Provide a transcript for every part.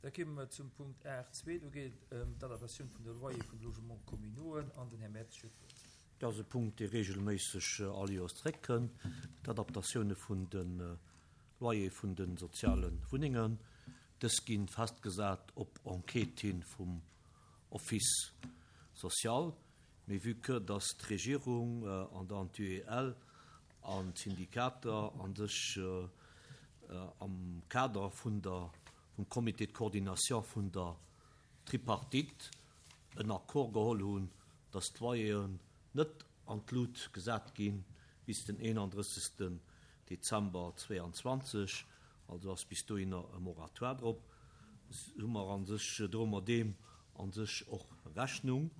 Da komme mer zum Punkt 8.2. Do geet et ëm d'Adaptatioun vun de Loyer vun de Logements communauxen an den Här Mertz huet d'Wuert. Dat ass e Punkt, dee regelméisseg all Joers zréckkënn, d'Adaptatioune vun de Loyer vun de soziale Wunnengen. Dës gi festgesat op Enquête hi vum Office social. Mee vue que dass d'Regierung an dann d'UEL an d'Syndikater a sech am Kader vun der, vum Comité de coordination vun der Tripartite en Accord geholl hunn, dass d'Loyeren net an d'Lut gesat gi bis den 31. Dezember 2022, also ass bis dohinner e Moratoire drop, hu mer a sech, droe mer deem a sech och Rechnung,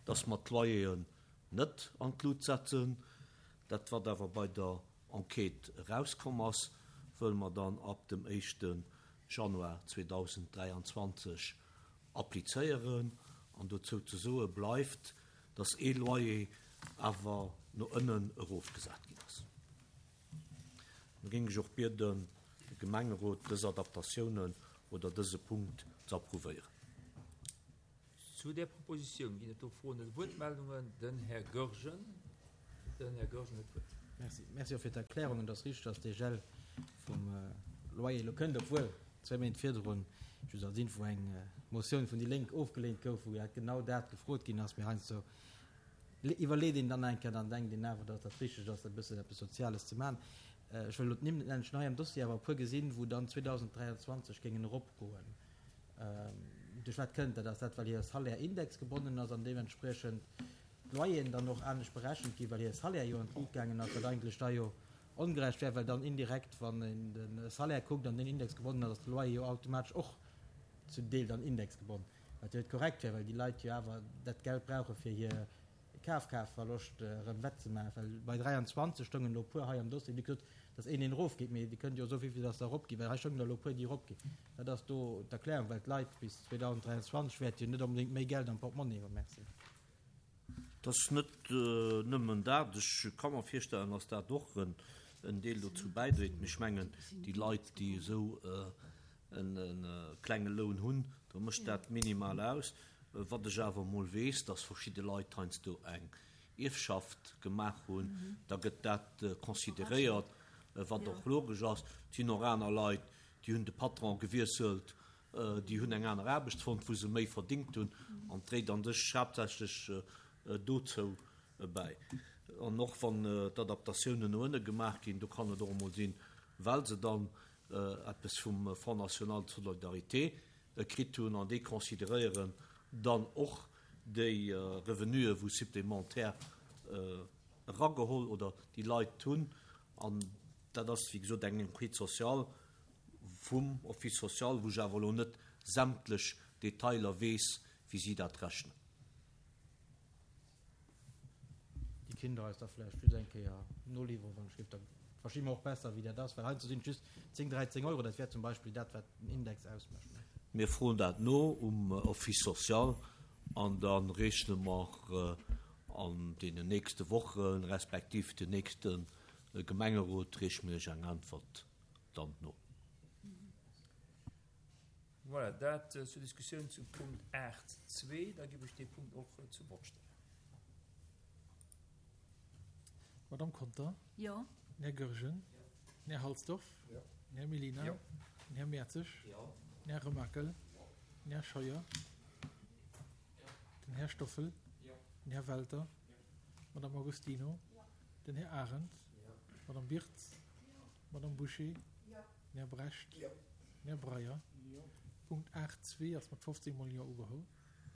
dass mer d'Loyeren net an d'Lut setzen. Dat wat awer bei der Enquête erauskomm ass, wëlle mer dann ab dem éischte Januar 2023 applizéieren. An dozou ze soe bleift, dass ee Loyer awer no ënnen erofgesat ginn ass. Da géing ech och bieden, de Gemengerot dës Adaptatiounen oder dëse Punkt ze approuvéieren. Zu där Propositioun ginn et do Froen oder Wuertmeldungen? Den Här Goergen. Den Här Goergen huet d'Wuert. Merci. Merci och fir d'Erklärung. Et ass richteg, dass dee Gel vum Loyer elo kënnt, obwuel zwéi Méint virdrun, just als Info, eng Motioun vun déi Lénk ofgeleent gouf, wou dat genau dat gefrot ginn ass. Mee heiansdo iwwerleet een dann eng Kéier, dann denkt een awer, datt dat richteg ass, e bëssen eppes Soziales ze maachen. Ech wëll elo d'Nimm net nennen, ech hunn hei am Dossier awer e puer gesinn, wou dann 2023 géingen eropgoen. Duerch wat kënnt dat? Ass dat, well hire Salaire indexgebonnen ass an deementspriechend d'Loyeren dann och anescht berechent ginn, well hire Salaire jo an d'Lut gaangen ass, wat eigentlech da jo ongerecht wär, well dann indirekt, wann een de Salaire kuckt an deen indexgebonnen ass, ass de Loyer jo automatesch och zum Deel dann indexgebonnen, wat jo net korrekt wär, well déi Leit jo awer dat Geld brauche fir hir Kafkraaftverloscht erëm wettzemaachen, well bei 23 stoungen elo e puer hei am Dossier, déi gesot, datt een een erofgeet, mee Dir kënnt jo soe wéivill datt der eropginn, well hei stoungen der elo e puer, déi eropginn. Wat ass do d'Erklärung, well d'Leit bis 2023 wäerte jo net onbedéngt méi Geld am Portmonni hunn? Merci. Et ass net nëmmen dat. Ech ka mer virstellen, datt dat och en Deel dozou bäidréit. Mee ech mengen, déi Leit, déi esou e klenge Loun hunn, do mécht dat minimal aus. Wat ech awer emol weess, dass verschidde Leit heiansdo eng Ierfschaft gemaach hunn, da gëtt dat consideréiert, wat och logesch ass. Et sinn och aner Leit, déi hunn de Patron gewiesselt, déi hunn eng aner Aarbecht fonnt, wou se méi verdingt hunn, an et dréit an sech haaptsächlech dozou bäi. An och wann d'Adaptatiounen no ënne gemaach ginn, do kann et och emol sinn, well se dann eppes vum Fonds national de solidarité kritt hunn, an déi consideréieren dann och déi Revenuen, wou supplémentaire erageholl oder déi Leit hunn. An dat ass, wéi gesot, eng Enquête sociale vum Office social, wou ech awer elo net sämtlech Detailer weess, wéi si dat rechnen. Déi kinnt Der eis da vläicht just eng Kéier noliwweren, wann ech géif. Da versti mer och besser, wéi dat ass, well heiansdo sinn et just 10, 13 Euro. Dat wär zum Beispill dat, wat den Index ausmécht. Mir froen dat no um Office social an da rechne mer an deenen nächste Wochen, respektiv den nächste Gemengerot reeche mir Iech eng Äntwert dann no. Voilà, dat zur Diskussioun zum Punkt 8.2. Da ginn ech dee Punkt och zur Vott stellen. Madamm Conter? Jo. Den Här Goergen? Jo. Den Här Halsdorf? Jo. Den Här Mellina? Jo. Den Här Mertzig? Jo. Den Här Remakel? Jo. Den Här Scheuer? Jo. Den Här Stoffel? Jo. Den Här Welter? Jo. D'Madamm Agostino? Jo. Den Här Arendt? Jo. D'Madamm Birtz? Jo. D'Madamm Bouché? Jo. Den Här Brecht? Jo. Den Här Breyer? Jo. Punkt 8.2 ass mat 15 mol Jo ugeholl.